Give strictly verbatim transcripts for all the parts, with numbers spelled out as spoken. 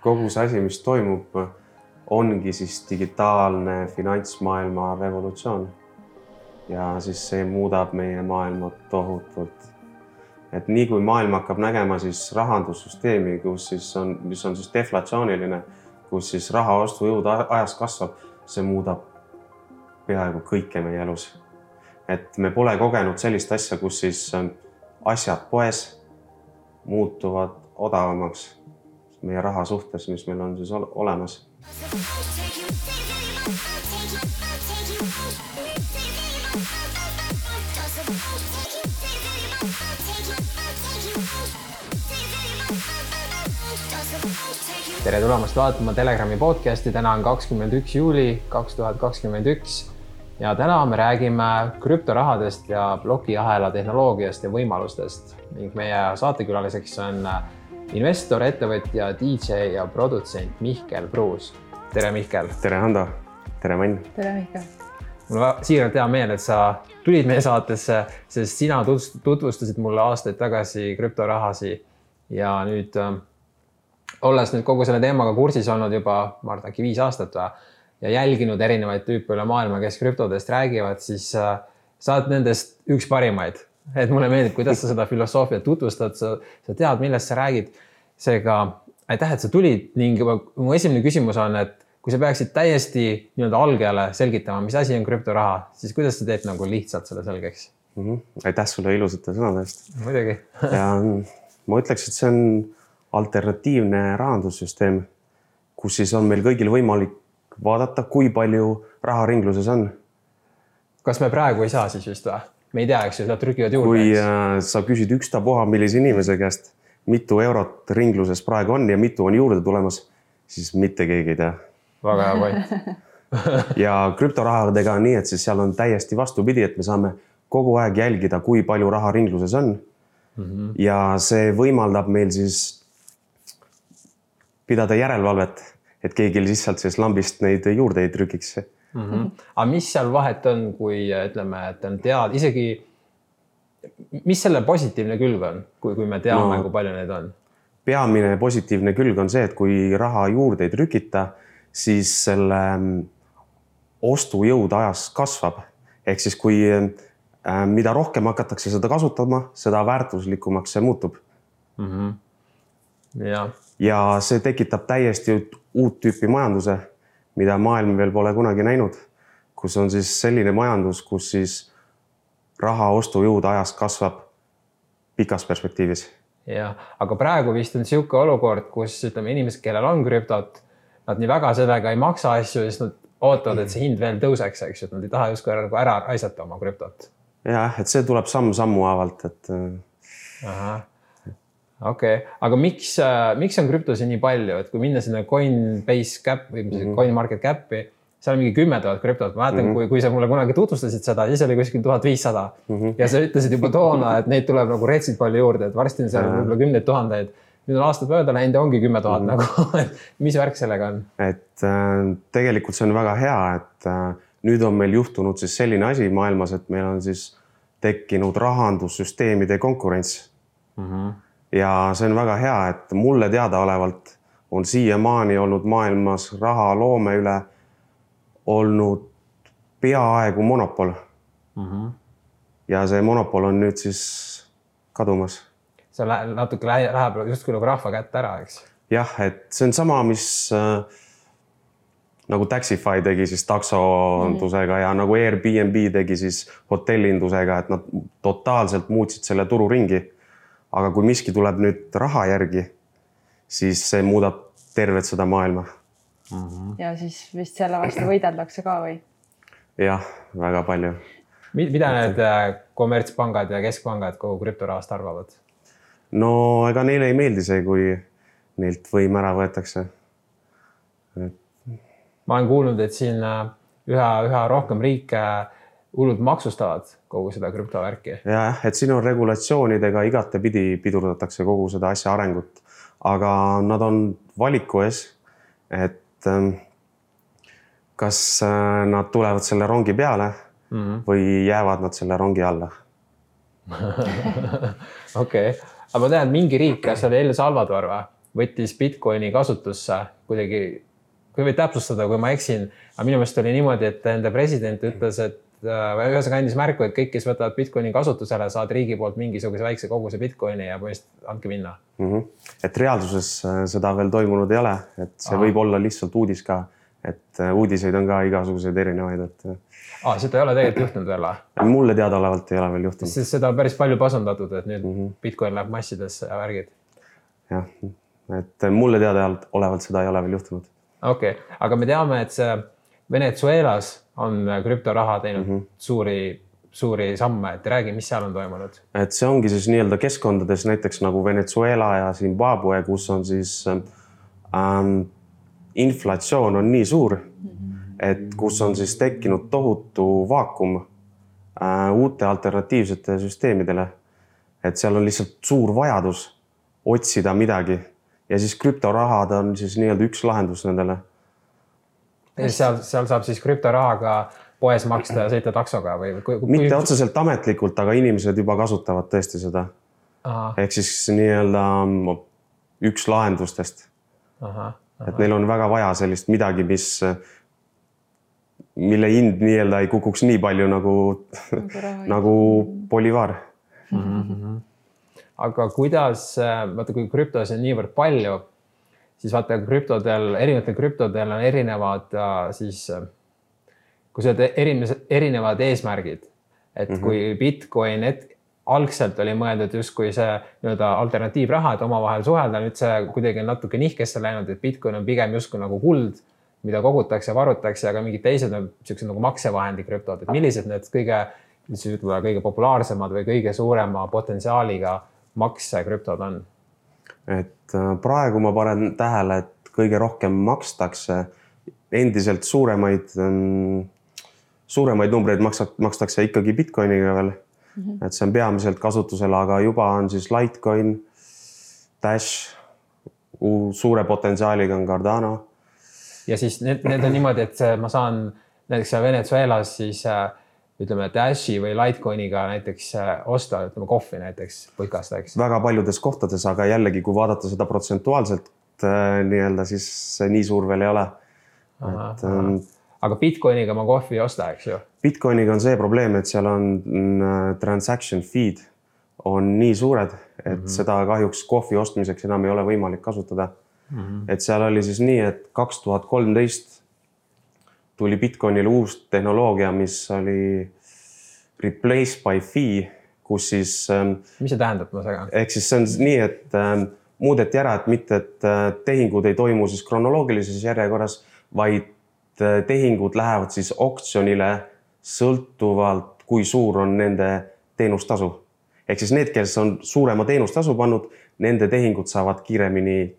kogu see asi, mis toimub, ongi siis digitaalne finantsmaailma revolutsioon. Ja siis see muudab meie maailma tohutult. Et nii kui maailm hakkab nägema siis rahandussüsteemi, kus siis on, mis on siis deflatsiooniline, kus siis raha ostujõud ajas kasvab, see muudab peaaegu kõike meie elus. Et me pole kogenud sellist asja, kus siis asjad poes muutuvad odavamaks meie raha suhtes, mis meil on siis olemas. Tere tulemast vaatama Telegrami podcasti. Täna on kakskümmend üks juuli kaks tuhat kakskümmend üks ja täna me räägime krüptorahadest ja plokiahela tehnoloogiast ja võimalustest. Ning meie saatekülaliseks on investor, ettevõtja, D J ja produtsent Mihkel Pruus. Tere Mihkel! Tere Hando! Tere Mann! Tere Mihkel! Mul on siiralt hea meel, et sa tulid meie saatesse, sest sina tutvustasid mulle aastaid tagasi krüptorahasi ja nüüd olles nüüd kogu selle teemaga kursis olnud juba, ma arvan, äkki viis aastat ja jälginud erinevaid tüüpe üle maailma, kes krüptodest räägivad, siis sa oled nendest üks parimaid. Et mulle meeldib, kuidas sa seda filosoofiat tutvustad, sa, sa tead, millest sa räägid. Seega, aitäh, et sa tulid ning mu esimene küsimus on, et kui sa peaksid täiesti nii-öelda algajale selgitama, mis asi on krüptoraha, siis kuidas sa teed nagu lihtsalt selle selgeks? Mm-hmm. Aitäh sulle ilusate sõnade eest. Muidugi. Ja ma ütleks, et see on alternatiivne rahandussüsteem, kus siis on meil kõigil võimalik vaadata, kui palju raha ringluses on. Kas me praegu ei saa siis just või? Me ei tea, eks ju, seda trükivad juurde. Kui äh, sa küsid ükstapuha millise inimese käest, mitu eurot ringluses praegu on ja mitu on juurde tulemas, siis mitte keegi ei tea. Väga hea point. Ja krüptorahadega on nii, et siis seal on täiesti vastupidi, et me saame kogu aeg jälgida, kui palju raha ringluses on. Mm-hmm. Ja see võimaldab meil siis pidada järelevalvet, et keegi lihtsalt siis lambist neid juurde ei trükiks. Mm-hmm. Aga mis seal vahet on, kui ütleme, et on tead, isegi mis selle positiivne külg on, kui, kui me teame, no, kui palju neid on? Peamine positiivne külg on see, et kui raha juurde ei trükita, siis selle ostujõud ajas kasvab. Ehk siis kui mida rohkem hakatakse seda kasutama, seda väärtuslikumaks see muutub. Mm-hmm. Ja. Ja see tekitab täiesti uut tüüpi majanduse, mida maailm veel pole kunagi näinud, kus on siis selline majandus, kus siis raha ostujõud ajas kasvab pikas perspektiivis. Ja, aga praegu vist on siuke olukord, kus ütleme inimesed, kellel on krüptot, nad nii väga sellega ei maksa asju, siis nad ootavad, et see hind veel tõuseks, eks, et nad ei taha justkui ära raisata oma krüptot. Ja, et see tuleb samm sammu avalt, et... Aha. Okei, okay. Aga miks, miks on krüptosi nii palju, et kui minna sinna Coinbase Cap või mm-hmm. CoinMarketCapi, seal on mingi kümme tuhat krüptot. Ma mäletan, mm-hmm. kui, kui sa mulle kunagi tutvustasid seda, siis oli kuskil tuhat viissada mm-hmm. ja sa ütlesid juba toona, et neid tuleb nagu retsid palju juurde, et varsti on seal võib-olla kümneid tuhandeid. Nüüd on aastad mööda läinud ja ongi kümme tuhat mm-hmm. nagu. Mis värk sellega on? Et äh, tegelikult see on väga hea, et äh, nüüd on meil juhtunud siis selline asi maailmas, et meil on siis tekkinud rahandussüsteemide konkurents. Mm-hmm. Ja see on väga hea, et mulle teadaolevalt on siiamaani olnud maailmas raha loome üle olnud peaaegu monopol. Mm-hmm. Ja see monopol on nüüd siis kadumas. See natuke läheb justkui nagu rahva kätte ära, eks? Jah, et see on sama, mis äh, nagu Taxify tegi siis taksondusega mm-hmm. ja nagu Airbnb tegi siis hotellindusega, et nad totaalselt muutsid selle turu ringi. Aga kui miski tuleb nüüd raha järgi, siis see muudab tervet seda maailma. Mm-hmm. Ja siis vist selle vastu võideldakse ka või? Jah, väga palju. Mida need kommertspangad ja keskpangad kogu krüptorahast arvavad? No ega neile ei meeldi see, kui neilt võim ära võetakse. Et... Ma olen kuulnud, et siin üha, üha rohkem riike hullud maksustavad kogu seda krüptovärki. Ja, et siin on regulatsioonidega igatepidi pidurdatakse kogu seda asja arengut, aga nad on valiku ees, et kas nad tulevad selle rongi peale mm-hmm. või jäävad nad selle rongi alla. Okei, okay. Aga ma tean, et mingi riik, kas oli El Salvador või? võttis Bitcoini kasutusse kuidagi, kui võid täpsustada, kui ma eksin, aga minu meelest oli niimoodi, et enda president ütles, et ühesõnaga andis märku, et kõik, kes võtavad Bitcoini kasutusele, saad riigi poolt mingisuguse väikse koguse Bitcoini ja põhimõtteliselt andke minna. Mm -hmm. Et reaalsuses seda veel toimunud ei ole, et see Aha. võib olla lihtsalt uudis ka, et uudiseid on ka igasuguseid erinevaid. Et... Ah, seda ei ole tegelikult juhtunud veel? Mulle teadaolevalt ei ole veel juhtunud. Sest seda on päris palju pasandatud, et nüüd mm -hmm. Bitcoin läheb massidesse ja värgid. Jah, et mulle teadaolevalt seda ei ole veel juhtunud. Okei, okay. Aga me teame, et see Venezuelas on krüptoraha teinud mm -hmm. suuri, suuri samme, et räägi, mis seal on toimunud? Et see ongi siis nii-öelda keskkondades näiteks nagu Venezuela ja Zimbabwe, kus on siis ähm, inflatsioon on nii suur, mm -hmm. et kus on siis tekkinud tohutu vaakum äh, uute alternatiivsete süsteemidele. Et seal on lihtsalt suur vajadus otsida midagi ja siis krüptorahad on siis nii-öelda üks lahendus nendele. Seal, seal saab siis krüptorahaga poes maksta ja sõita taksoga või? Kui, kui... Mitte otseselt ametlikult, aga inimesed juba kasutavad tõesti seda. Aha. Ehk siis nii-öelda üks lahendustest. Aha, aha. Et neil on väga vaja sellist midagi, mis, mille hind nii-öelda ei kukuks nii palju nagu, nagu bolivar. Mm-hmm. Aga kuidas, vaata kui krüptos on niivõrd palju, siis vaata krüptodel, erinevatel krüptodel on erinevad, siis, kui sa oled erinevad eesmärgid, et mm -hmm. kui Bitcoin et, algselt oli mõeldud justkui see nii-öelda alternatiivraha, et omavahel suhelda, nüüd see kuidagi on natuke nihkesse läinud, et Bitcoin on pigem justkui nagu kuld, mida kogutakse ja varutakse, aga mingid teised on sellised nagu maksevahendi krüptod, et millised need kõige, siis ütleme, kõige populaarsemad või kõige suurema potentsiaaliga maksekrüptod on? Et praegu ma panen tähele, et kõige rohkem makstakse endiselt suuremaid, suuremaid numbreid makstakse ikkagi Bitcoiniga veel. Mm-hmm. Et see on peamiselt kasutusel, aga juba on siis Litecoin, Dash, suure potentsiaaliga on Cardano. Ja siis need, need on niimoodi, et ma saan näiteks Venezuelas siis ütleme Dashi või Litecoiniga näiteks osta, ütleme kohvi näiteks putkast, eks? Väga paljudes kohtades, aga jällegi, kui vaadata seda protsentuaalselt nii-öelda, siis see nii suur veel ei ole. Aha, et, aha. Aga Bitcoiniga ma kohvi ei osta, eks ju? Bitcoiniga on see probleem, et seal on transaction feed on nii suured, et mm -hmm. seda kahjuks kohvi ostmiseks enam ei ole võimalik kasutada. Mm -hmm. Et seal oli siis nii, et kaks tuhat kolmteist tuli Bitcoinile uus tehnoloogia, mis oli replace by fee, kus siis... Mis see tähendab? Ma segan? Ehk siis see on nii, et muudeti ära, et mitte, et tehingud ei toimu siis kronoloogilises järjekorras, vaid tehingud lähevad siis oktsionile sõltuvalt, kui suur on nende teenustasu. Ehk siis need, kes on suurema teenustasu pannud, nende tehingud saavad kiiremini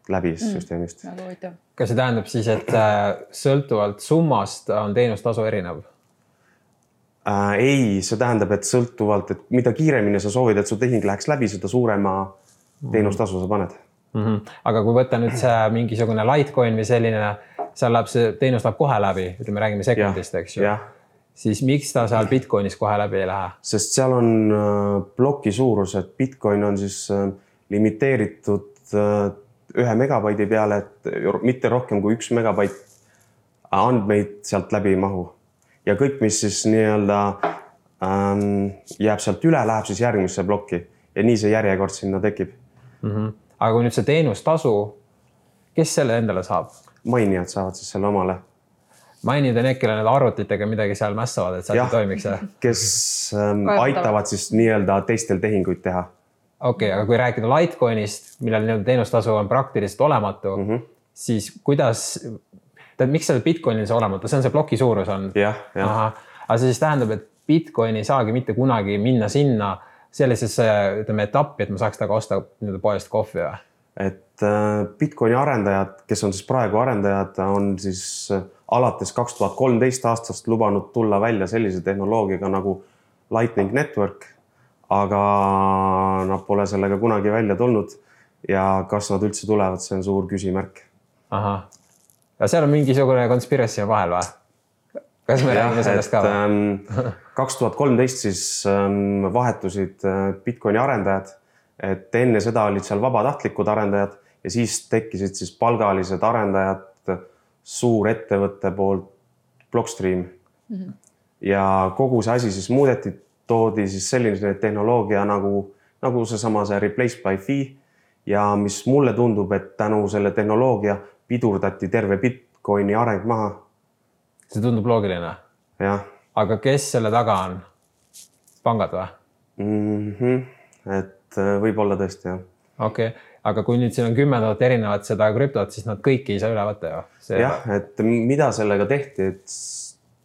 läbi süsteemist. Mm, kas see tähendab siis, et sõltuvalt summast on teenustasu erinev? Äh, ei, see tähendab, et sõltuvalt, et mida kiiremini sa soovid, et su tehing läheks läbi, seda suurema teenustasu sa paned. Mm -hmm. Aga kui võtta nüüd see mingisugune Litecoin või selline, seal läheb see teenus läheb kohe läbi, ütleme, räägime sekundist, eks ju. Siis miks ta seal Bitcoinis kohe läbi ei lähe? Sest seal on ploki suurus, et Bitcoin on siis limiteeritud ühe megabaidi peale, et mitte rohkem kui üks megabait andmeid sealt läbi ei mahu. Ja kõik, mis siis nii-öelda ähm, jääb sealt üle, läheb siis järgmisse plokki ja nii see järjekord sinna tekib. Mm -hmm. Aga kui nüüd see teenustasu, kes selle endale saab? Mainijad saavad siis selle omale. Mainijad on need, kellel need arvutitega midagi seal mässavad, et seal toimiks. Kes ähm, aitavad siis nii-öelda teistel tehinguid teha. Okei, okay, aga kui rääkida Litecoinist, millel nii-öelda teenustasu on praktiliselt olematu, mm -hmm. siis kuidas, tead, miks seal Bitcoinil see olematu? See on see ploki suurus on. Jah, jah. Aha. Aga see siis tähendab, et Bitcoin ei saagi mitte kunagi minna sinna sellisesse, ütleme, etappi, et ma saaks taga osta poest kohvi või? Et Bitcoini arendajad, kes on siis praegu arendajad, on siis alates kaks tuhat kolmteist aastast lubanud tulla välja sellise tehnoloogiaga nagu Lightning Network, aga nad pole sellega kunagi välja tulnud ja kas nad üldse tulevad, see on suur küsimärk. Aha. Ja seal on mingisugune konspiratsioon vahel või? Kas me räägime sellest ka või? kaks tuhat kolmteist siis vahetusid Bitcoini arendajad et enne seda olid seal vabatahtlikud arendajad ja siis tekkisid siis palgalised arendajad suurettevõtte poolt Blockstream. Mm-hmm. Ja kogu see asi siis muudeti, toodi siis selline tehnoloogia nagu, nagu seesama see replace by fee ja mis mulle tundub, et tänu selle tehnoloogia pidurdati terve Bitcoini areng maha. See tundub loogiline. Jah. Aga kes selle taga on? Pangad või? Mm-hmm. Et võib olla tõesti, jah. Okei, okay. Aga kui nüüd siin on kümme tuhat erinevat seda krüptot, siis nad kõiki ei saa üle võtta ju. See jah, et mida sellega tehti, et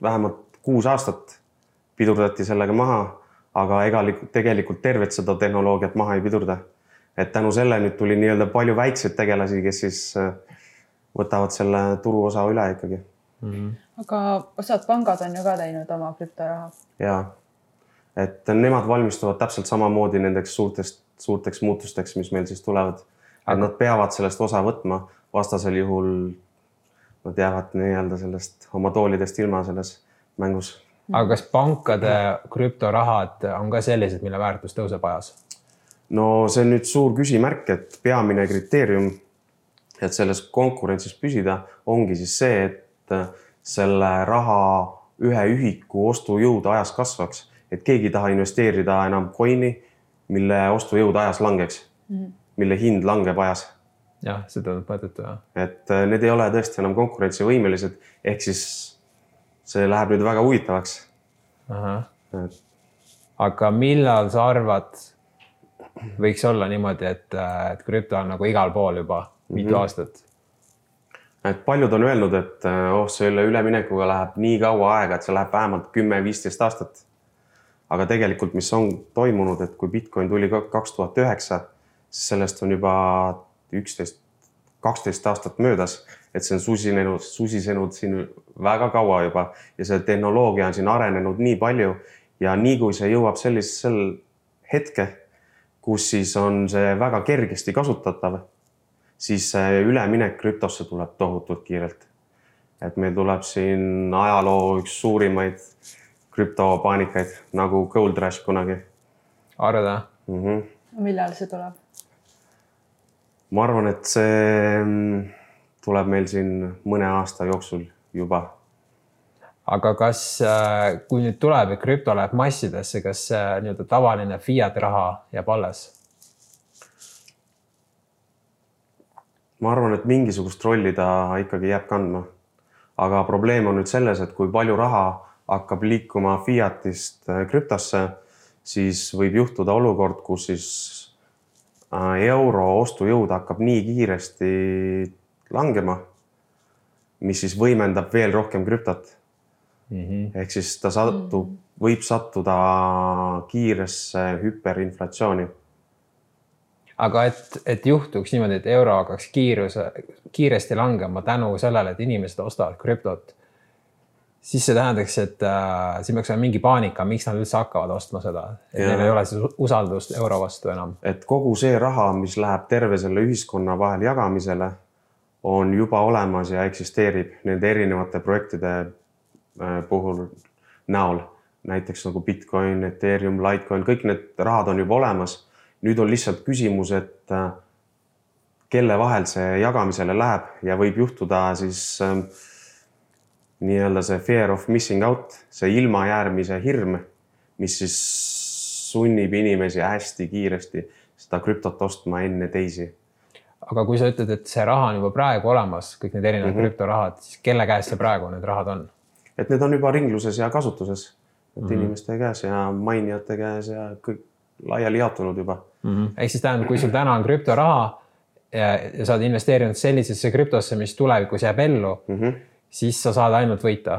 vähemalt kuus aastat pidurdati sellega maha, aga ega tegelikult tervet seda tehnoloogiat maha ei pidurda. Et tänu selle nüüd tuli nii-öelda palju väikseid tegelasi, kes siis võtavad selle turuosa üle ikkagi. Mm-hmm. Aga osad pangad on ju ka teinud oma krüptoraha. Jaa, et nemad valmistuvad täpselt samamoodi nendeks suurtest, suurteks muutusteks, mis meil siis tulevad. Aga nad peavad sellest osa võtma, vastasel juhul nad jäävad nii-öelda sellest oma toolidest ilma selles mängus. Aga kas pankade krüptorahad on ka sellised, mille väärtus tõuseb ajas? No see on nüüd suur küsimärk, et peamine kriteerium, et selles konkurentsis püsida, ongi siis see, et selle raha ühe ühiku ostujõud ajas kasvaks, et keegi taha investeerida enam coini, mille ostujõud ajas langeks, mm-hmm. mille hind langeb ajas. Jah, see tundub mõttetu, jah. Et need ei ole tõesti enam konkurentsivõimelised, ehk siis see läheb nüüd väga huvitavaks. Aha. Et... Aga millal sa arvad, võiks olla niimoodi, et, et krüpto on nagu igal pool juba mitu mm-hmm. aastat? Et paljud on öelnud, et oh, selle üleminekuga läheb nii kaua aega, et see läheb vähemalt kümme viisteist aastat. Aga tegelikult, mis on toimunud, et kui Bitcoin tuli kaks tuhat üheksa, siis sellest on juba üksteist, kaksteist aastat möödas, et see on susinenud, susisenud siin väga kaua juba ja see tehnoloogia on siin arenenud nii palju ja nii kui see jõuab sellisel hetke, kus siis on see väga kergesti kasutatav, siis see üleminek krüptosse tuleb tohutult kiirelt. Et meil tuleb siin ajaloo üks suurimaid krüptopaanikaid nagu Gold Rush kunagi. Arvada? Mm-hmm. Millal see tuleb? Ma arvan, et see tuleb meil siin mõne aasta jooksul juba. Aga kas, kui nüüd tuleb ja krüpto läheb massidesse, kas nii-öelda tavaline fiat raha jääb alles? Ma arvan, et mingisugust rolli ta ikkagi jääb kandma. Aga probleem on nüüd selles, et kui palju raha hakkab liikuma fiatist krüptosse, siis võib juhtuda olukord, kus siis euro ostujõud hakkab nii kiiresti langema, mis siis võimendab veel rohkem krüptot. Mm-hmm. Ehk siis ta satub, võib sattuda kiiresse hüperinflatsiooni. Aga et, et juhtuks niimoodi, et euro hakkaks kiiruse, kiiresti langema tänu sellele, et inimesed ostavad krüptot, siis see tähendaks, et äh, siin peaks olema mingi paanika, miks nad üldse hakkavad ostma seda. Et ja. Neil ei ole siis usaldust euro vastu enam. Et kogu see raha, mis läheb terve selle ühiskonna vahel jagamisele, on juba olemas ja eksisteerib nende erinevate projektide puhul näol. Näiteks nagu Bitcoin, Ethereum, Litecoin, kõik need rahad on juba olemas. Nüüd on lihtsalt küsimus, et kelle vahel see jagamisele läheb ja võib juhtuda siis nii-öelda see fear of missing out, see ilmajäämise hirm, mis siis sunnib inimesi hästi kiiresti seda krüptot ostma enne teisi. Aga kui sa ütled, et see raha on juba praegu olemas, kõik need erinevad mm-hmm. krüptorahad, siis kelle käes see praegu need rahad on? Et need on juba ringluses ja kasutuses, et mm-hmm. inimeste käes ja mainijate käes ja kõik laiali jaotunud juba. Mm-hmm. Ehk siis tähendab, kui sul täna on krüptoraha ja, ja sa oled investeerinud sellisesse krüptosse, mis tulevikus jääb ellu, mm-hmm. siis sa saad ainult võita?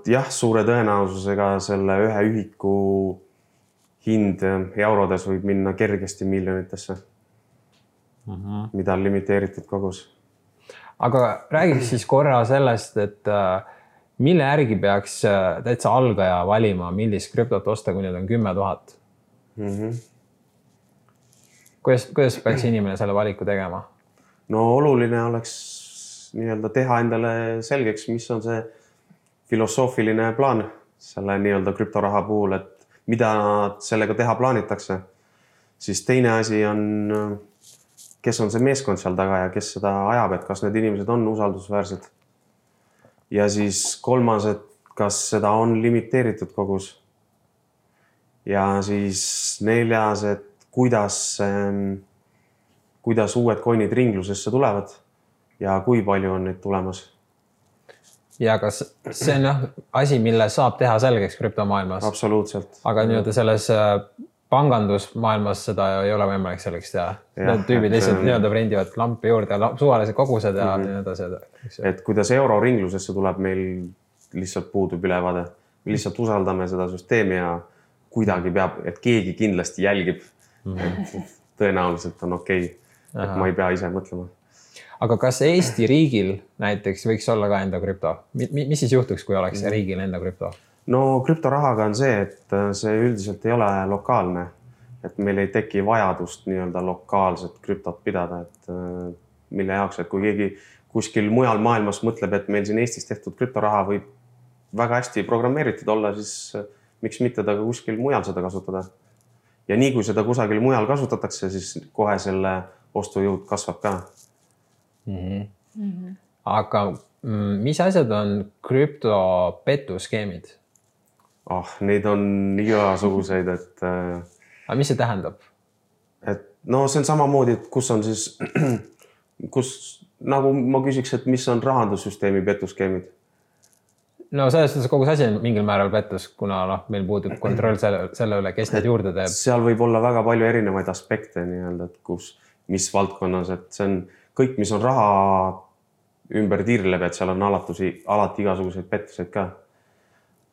Jah, suure tõenäosusega selle ühe ühiku hind eurodes võib minna kergesti miljonitesse, mm-hmm. mida on limiteeritud kogus. Aga räägiks siis korra sellest, et mille järgi peaks täitsa algaja valima, millist krüptot osta, kui need on kümme tuhat? Mm-hmm. Kuidas, kuidas peaks inimene selle valiku tegema? No oluline oleks nii-öelda teha endale selgeks, mis on see filosoofiline plaan selle nii-öelda krüptoraha puhul, et mida sellega teha plaanitakse. siis teine asi on, kes on see meeskond seal taga ja kes seda ajab, et kas need inimesed on usaldusväärsed. Ja siis kolmas, et kas seda on limiteeritud kogus. Ja siis neljas, et kuidas, kuidas uued coinid ringlusesse tulevad ja kui palju on neid tulemas. Ja kas see on jah, asi, mille saab teha selgeks krüptomaailmas? Absoluutselt. Aga nii-öelda selles pangandusmaailmas seda ei ole võimalik selgeks teha. Need tüübid lihtsalt nii-öelda prendivad lampi juurde ja suvalised kogused ja mm-hmm. nii edasi. Et kuidas euro ringlusesse tuleb, meil lihtsalt puudub ülevaade. Me lihtsalt usaldame seda süsteemi ja kuidagi peab, et keegi kindlasti jälgib. Mm-hmm. Et tõenäoliselt on okei, okay, et ma ei pea ise mõtlema. Aga kas Eesti riigil näiteks võiks olla ka enda krüpto? Mis siis juhtuks, kui oleks riigil enda krüpto? No krüptorahaga on see, et see üldiselt ei ole lokaalne. Et meil ei teki vajadust nii-öelda lokaalset krüptot pidada. Et mille jaoks, et kui keegi kuskil mujal maailmas mõtleb, et meil siin Eestis tehtud krüptoraha võib väga hästi programmeeritud olla, siis miks mitte ta ka kuskil mujal seda kasutada. Ja nii kui seda kusagil mujal kasutatakse, siis kohe selle ostujõud kasvab ka. Mm-hmm. Mm-hmm. Aga mis asjad on krüptopetuskeemid? Oh, neid on igasuguseid, et... Aga mis see tähendab? Et no see on samamoodi, et kus on siis, kus nagu ma küsiks, et mis on rahandussüsteemi petuskeemid? No selles suhtes kogu see asi on mingil määral pettus, kuna no, meil puudub kontroll selle, selle üle, kes need juurde teeb. Seal võib olla väga palju erinevaid aspekte, nii-öelda, et kus, mis valdkonnas, et see on kõik, mis on raha ümber tiirleb, et seal on alatusi, alati igasuguseid pettuseid ka.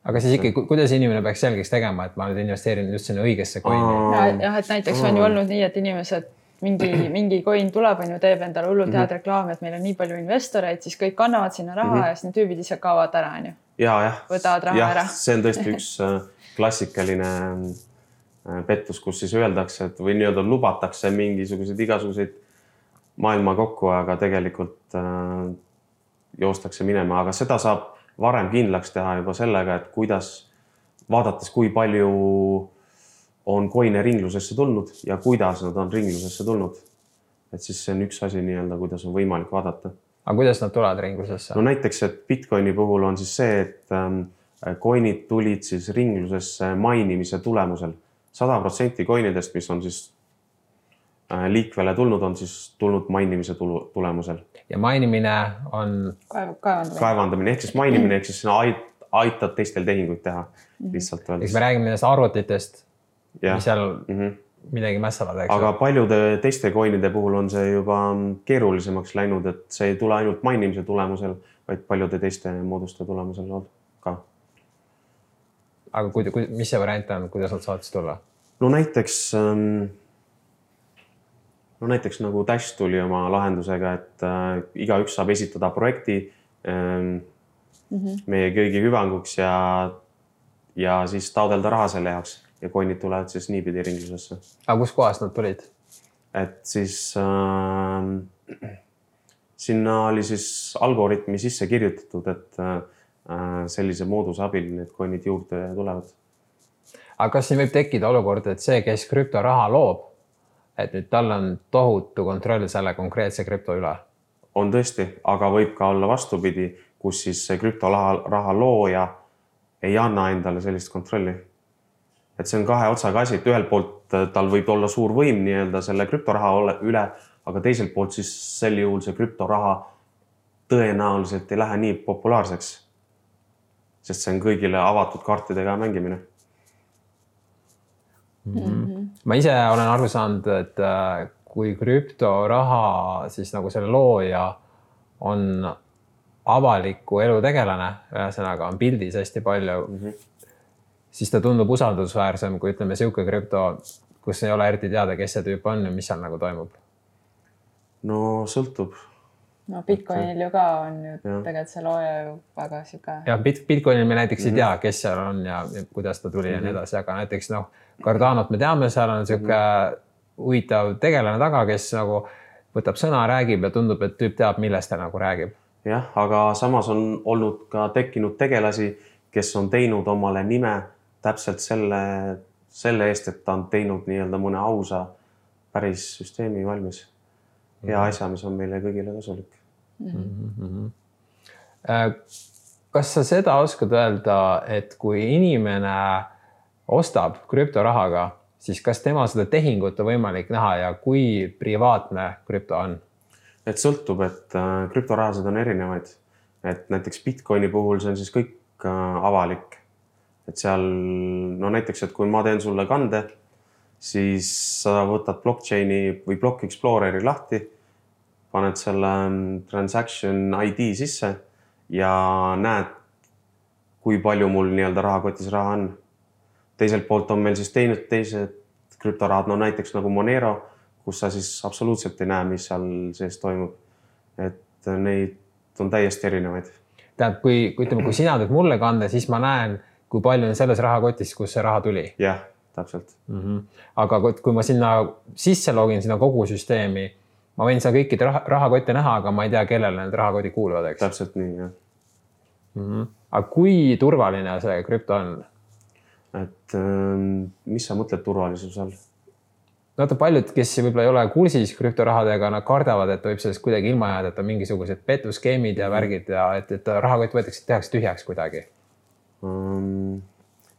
Aga siis ikkagi, kuidas inimene peaks selgeks tegema, et ma nüüd investeerin just sinna õigesse coini? Ja, jah, et näiteks on ju olnud nii, et inimesed mingi, mingi coin tuleb, on ju, teeb endale hullult head mm-hmm. reklaami, et meil on nii palju investoreid, siis kõik kannavad sinna raha mm-hmm. ja siis need tüübid ise kaovad ära, on ju. Ja, jah. Võtavad raha ja, ära. See on tõesti üks klassikaline pettus, kus siis öeldakse, et või nii-öelda lubatakse mingisugused igasuguseid maailma kokku, aga tegelikult äh, joostakse minema. Aga seda saab varem kindlaks teha juba sellega, et kuidas vaadates, kui palju on coine ringlusesse tulnud ja kuidas nad on ringlusesse tulnud. Et siis see on üks asi nii-öelda, kuidas on võimalik vaadata. Aga kuidas nad tulevad ringlusesse? No näiteks, et Bitcoini puhul on siis see, et ähm, coinid tulid siis ringlusesse mainimise tulemusel. sada protsenti coinidest, mis on siis äh, liikvele tulnud, on siis tulnud mainimise tulu, tulemusel. Ja mainimine on kaevandamine. kaevandamine, ehk siis mainimine, ehk siis sinna aitad teistel tehinguid teha. Lihtsalt öeldes. Eks me räägime nendest arvutitest, ja. mis seal mm-hmm. midagi mässavad. Eks aga paljude teiste coinide puhul on see juba keerulisemaks läinud, et see ei tule ainult mainimise tulemusel, vaid paljude teiste mooduste tulemusel ka. Aga kui, kui, mis see variant on, kuidas nad saavad siis tulla? No näiteks... Ähm, No näiteks nagu Dash tuli oma lahendusega, et äh, iga üks saab esitada projekti äh, mm-hmm. meie kõigi hüvanguks ja, ja siis taodelda raha selle jaoks ja coinid tulevad siis niipidi ringlusesse. Aga kus kohas nad tulid? Et siis äh, sinna oli siis algoritmi sisse kirjutatud, et äh, sellise mooduse abil need coinid juurde tulevad. Aga kas siin võib tekkida olukord, et see, kes krüptoraha loob, et nüüd tal on tohutu kontroll selle konkreetse krüpto üle? On tõesti, aga võib ka olla vastupidi, kus siis see krüptoraha looja ei anna endale sellist kontrolli. Et see on kahe otsaga asi, et ühelt poolt tal võib olla suur võim nii-öelda selle krüptoraha üle, aga teiselt poolt siis sel juhul see krüptoraha tõenäoliselt ei lähe nii populaarseks, sest see on kõigile avatud kaartidega mängimine. Mm-hmm. Ma ise olen aru saanud, et kui krüptoraha siis nagu selle looja on avaliku elu tegelane, ühesõnaga on pildis hästi palju, mm-hmm. siis ta tundub usaldusväärsem, kui ütleme siuke krüpto, kus ei ole eriti teada, kes see tüüp on ja mis seal nagu toimub. No sõltub. No Bitcoinil ju ka on ju tegelikult see looja ju väga siuke. Ja Bitcoinil me näiteks ei tea, kes seal on ja kuidas ta tuli mm-hmm. ja nii edasi, aga näiteks noh, Cardanot me teame, seal on siuke huvitav tegelane taga, kes nagu võtab sõna, räägib ja tundub, et tüüp teab, millest ta nagu räägib. Jah, aga samas on olnud ka tekkinud tegelasi, kes on teinud omale nime täpselt selle, selle eest, et ta on teinud nii-öelda mõne ausa päris süsteemi valmis. Hea asja, mis on meile kõigile kasulik. Mm-hmm. Kas sa seda oskad öelda, et kui inimene ostab krüptorahaga, siis kas tema seda tehingut on võimalik näha ja kui privaatne krüpto on? Et sõltub, et krüptorahasid on erinevaid. Et näiteks Bitcoini puhul see on siis kõik avalik. Et seal, no näiteks, et kui ma teen sulle kande, siis sa võtad blockchaini või Block Exploreri lahti, paned selle transaction I D sisse ja näed, kui palju mul nii-öelda rahakotis raha on. Teiselt poolt on meil siis teinud teised krüptorahad, no näiteks nagu Monero, kus sa siis absoluutselt ei näe, mis seal sees toimub. Et neid on täiesti erinevaid. Tähendab, kui, kui, ütleme, kui sina teed mulle kande, siis ma näen, kui palju on selles rahakotis, kus see raha tuli. Jah, täpselt. Mm-hmm. Aga kui ma sinna sisse login, sinna kogu süsteemi, ma võin seal kõikide rahakotte näha, aga ma ei tea, kellele need rahakoti kuuluvad, eks? Täpselt nii, jah. Mm-hmm. Aga kui turvaline see krüpto on? Et mis sa mõtled turvalisus all? Vaata paljud, kes võib-olla ei ole kursis krüptorahadega, nad kardavad, et võib sellest kuidagi ilma jääda, et on mingisugused petuskeemid ja värgid ja et, et rahakott võetakse, tehakse tühjaks kuidagi. Um,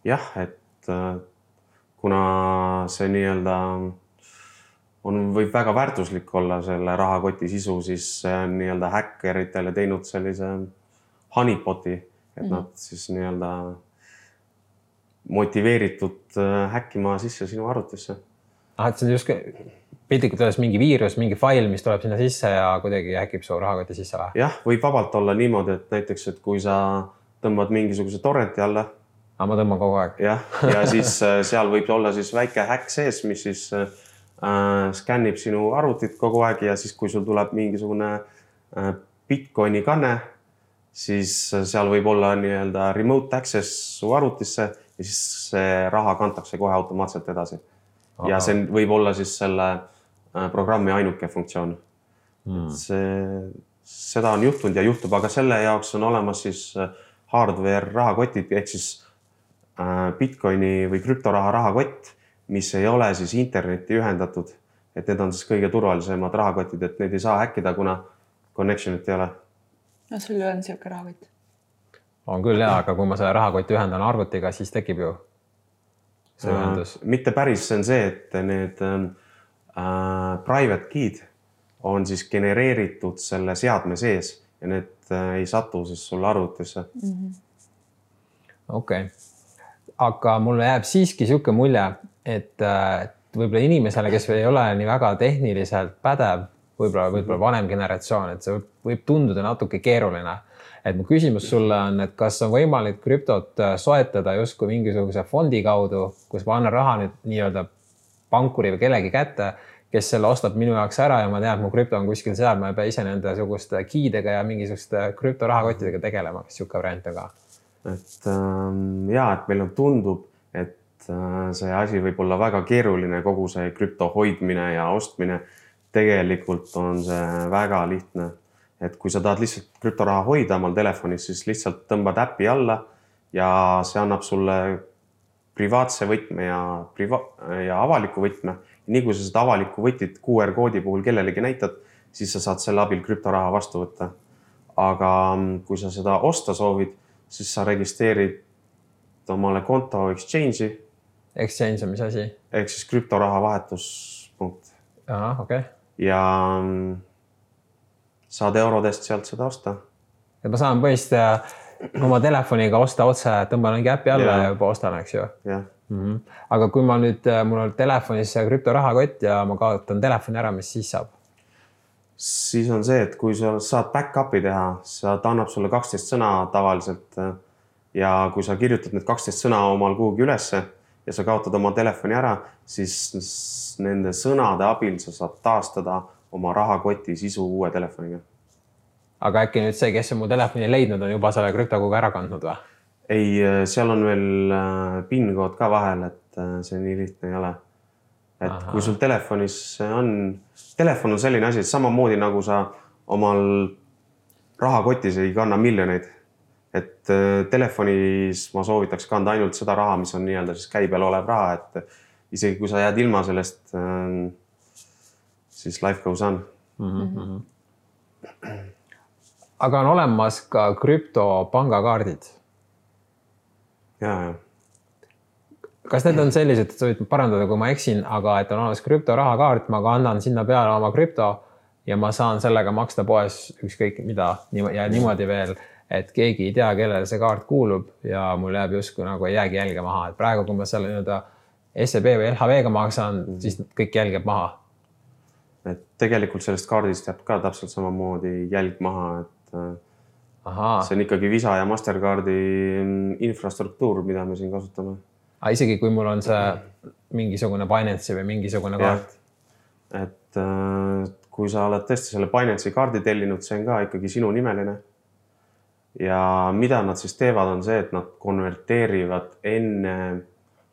jah, et kuna see nii-öelda on, võib väga väärtuslik olla selle rahakoti sisu, siis see on nii-öelda häkkeritele teinud sellise honeypoti, et mm-hmm. nad siis nii-öelda motiveeritud häkkima sisse sinu arvutisse. Ah, et see on just piltlikult öeldes mingi viirus, mingi fail, mis tuleb sinna sisse ja kuidagi häkib su rahakoti sisse või? Jah, võib vabalt olla niimoodi, et näiteks, et kui sa tõmbad mingisuguse torrenti alla. Ah, ma tõmban kogu aeg. Jah, ja siis seal võib olla siis väike häkk sees, mis siis äh, skännib sinu arvutit kogu aeg ja siis, kui sul tuleb mingisugune äh, Bitcoini kanne, siis seal võib olla nii-öelda remote access su arvutisse ja siis see raha kantakse kohe automaatselt edasi. Aha. Ja see võib olla siis selle programmi ainuke funktsioon. Hmm. See, seda on juhtunud ja juhtub, aga selle jaoks on olemas siis hardware rahakotid, ehk siis Bitcoini või krüptoraha rahakott, mis ei ole siis internetti ühendatud. Et need on siis kõige turvalisemad rahakotid, et need ei saa häkkida, kuna connectionit ei ole. No sul ju on siuke rahakott. On küll jah, aga kui ma selle rahakoti ühendan arvutiga, siis tekib ju see ühendus. Mitte päris, see on see, et need äh, private key'd on siis genereeritud selle seadme sees ja need äh, ei satu siis sulle arvutisse. Mm-hmm. Okei. Okay. Aga mulle jääb siiski siuke mulje, et, et võib-olla inimesele, kes ei ole nii väga tehniliselt pädev, võib-olla, võib-olla vanem generatsioon, et see võib, võib tunduda natuke keeruline. Et mu küsimus sulle on, et kas on võimalik krüptot soetada justkui mingisuguse fondi kaudu, kus ma annan raha nüüd nii-öelda pankuri või kellegi kätte, kes selle ostab minu jaoks ära ja ma tean, et mu krüpto on kuskil seal, ma ei pea ise nende suguste kiidega ja mingisuguste krüptorahakottidega tegelema, kas siuke variant on ka? Et ähm, jaa, et meil on tundub, et äh, see asi võib olla väga keeruline, kogu see krüpto hoidmine ja ostmine. Tegelikult on see väga lihtne. Et kui sa tahad lihtsalt krüptoraha hoida omal telefonis, siis lihtsalt tõmbad äppi alla ja see annab sulle privaatse võtme ja, priva ja avaliku võtme. Nii kui sa seda avaliku võtit Q R koodi puhul kellelegi näitad, siis sa saad selle abil krüptoraha vastu võtta. Aga kui sa seda osta soovid, siis sa registreerid omale konto exchange'i. Exchange on mis asi? Ehk siis krüptoraha vahetuspunkt. Aha, okei. Okay. Ja saad eurodest sealt seda osta. Et ma saan põhimõtteliselt oma telefoniga osta otse, tõmban mingi äppi alla ja, ja juba ostan, eks ju. Ja. Mm-hmm. Aga kui ma nüüd, mul on telefonis krüptorahakott ja ma kaotan telefoni ära, mis siis saab? Siis on see, et kui sa saad back-up'i teha, sa annab sulle kaksteist sõna tavaliselt ja kui sa kirjutad need kaksteist sõna omal kuhugi ülesse ja sa kaotad oma telefoni ära, siis nende sõnade abil sa saad taastada oma rahakoti sisu uue telefoniga. Aga äkki nüüd see, kes on mu telefoni leidnud, on juba selle krüptokogu ära kandnud või? Ei, seal on veel PIN-kood ka vahel, et see nii lihtne ei ole. Et Aha. Kui sul telefonis on, telefon on selline asi, et samamoodi nagu sa omal rahakotis ei kanna miljoneid. et telefonis ma soovitaks kanda ainult seda raha, mis on nii-öelda siis käibel olev raha, et isegi kui sa jääd ilma sellest, siis life goes on. Mm-hmm. Aga on olemas ka krüptopangakaardid. Ja, ja. Kas need on sellised, et sa võid parandada, kui ma eksin, aga et on olemas krüptorahakaart, ma kannan sinna peale oma krüpto ja ma saan sellega maksta poes ükskõik mida ja niimoodi veel, et keegi ei tea, kellele see kaart kuulub ja mul jääb justkui nagu ei jäägi jälge maha. Et praegu, kui ma selle nii-öelda S E B või L H V-ga maksan, siis kõik jälgeb maha. Et tegelikult sellest kaardist jääb ka täpselt samamoodi jälg maha, et Aha. see on ikkagi Visa ja Mastercardi infrastruktuur, mida me siin kasutame. A, isegi kui mul on see mingisugune Binance või mingisugune kaart? Ja, et kui sa oled tõesti selle Binance'i kaardi tellinud, see on ka ikkagi sinu nimeline. Ja mida nad siis teevad, on see, et nad konverteerivad enne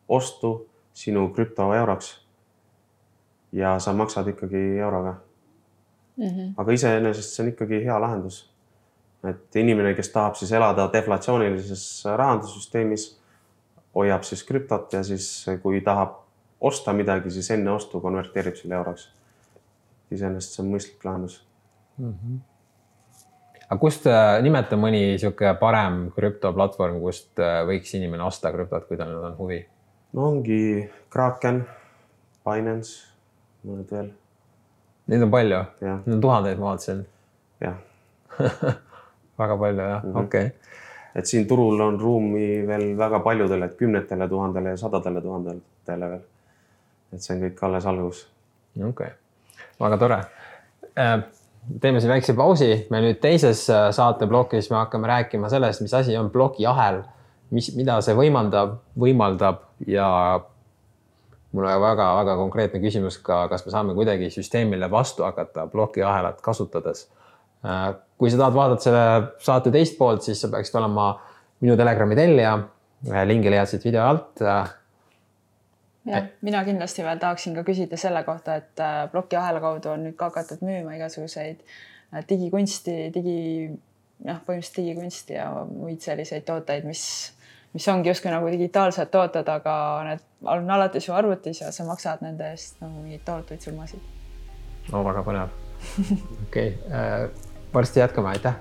ostu sinu krüpto euroks ja sa maksad ikkagi euroga. Mm-hmm. Aga iseenesest see on ikkagi hea lahendus. Et inimene, kes tahab siis elada deflatsioonilises rahandussüsteemis, hoiab siis krüptot ja siis kui tahab osta midagi, siis enne ostu konverteerib selle euroks. Iseenesest see on mõistlik lahendus. Mm-hmm. Aga kust nimeta mõni siuke parem krüptoplatvorm, kust võiks inimene osta krüptot, kui tal on huvi? No ongi Kraken, Binance, mõned veel. Neid on palju? Ja. Neid on tuhandeid, ma vaatasin. Jah. Väga palju, jah. Mm-hmm. Okei. Okay. Et siin turul on ruumi veel väga paljudele, et kümnetele tuhandele ja sadadele tuhandele veel. Et see on kõik alles algus. Okei. Okay. Väga tore. Teeme siin väikse pausi. Me nüüd teises saateblokis me hakkame rääkima sellest, mis asi on blokiahel, mis, mida see võimaldab, võimaldab ja mul on väga-väga konkreetne küsimus ka, kas me saame kuidagi süsteemile vastu hakata blokiahelat kasutades. Kui sa tahad vaadata selle saate teist poolt, siis sa peaksid olema minu Telegrami tellija. Lingi leiad siit video alt. Ja, mina kindlasti veel tahaksin ka küsida selle kohta, et blokiahela kaudu on nüüd ka hakatud müüma igasuguseid digikunsti, digi, jah, põhimõtteliselt digikunsti ja muid selliseid tooteid, mis, mis ongi justkui nagu digitaalsed tooted, aga need on alati su arvutis ja sa maksad nende eest nagu mingid tohutuid summasid. No, väga põnev. Okei. Okay. Varsti jätkame, aitäh!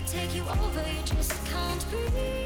Take you over, you just can't breathe.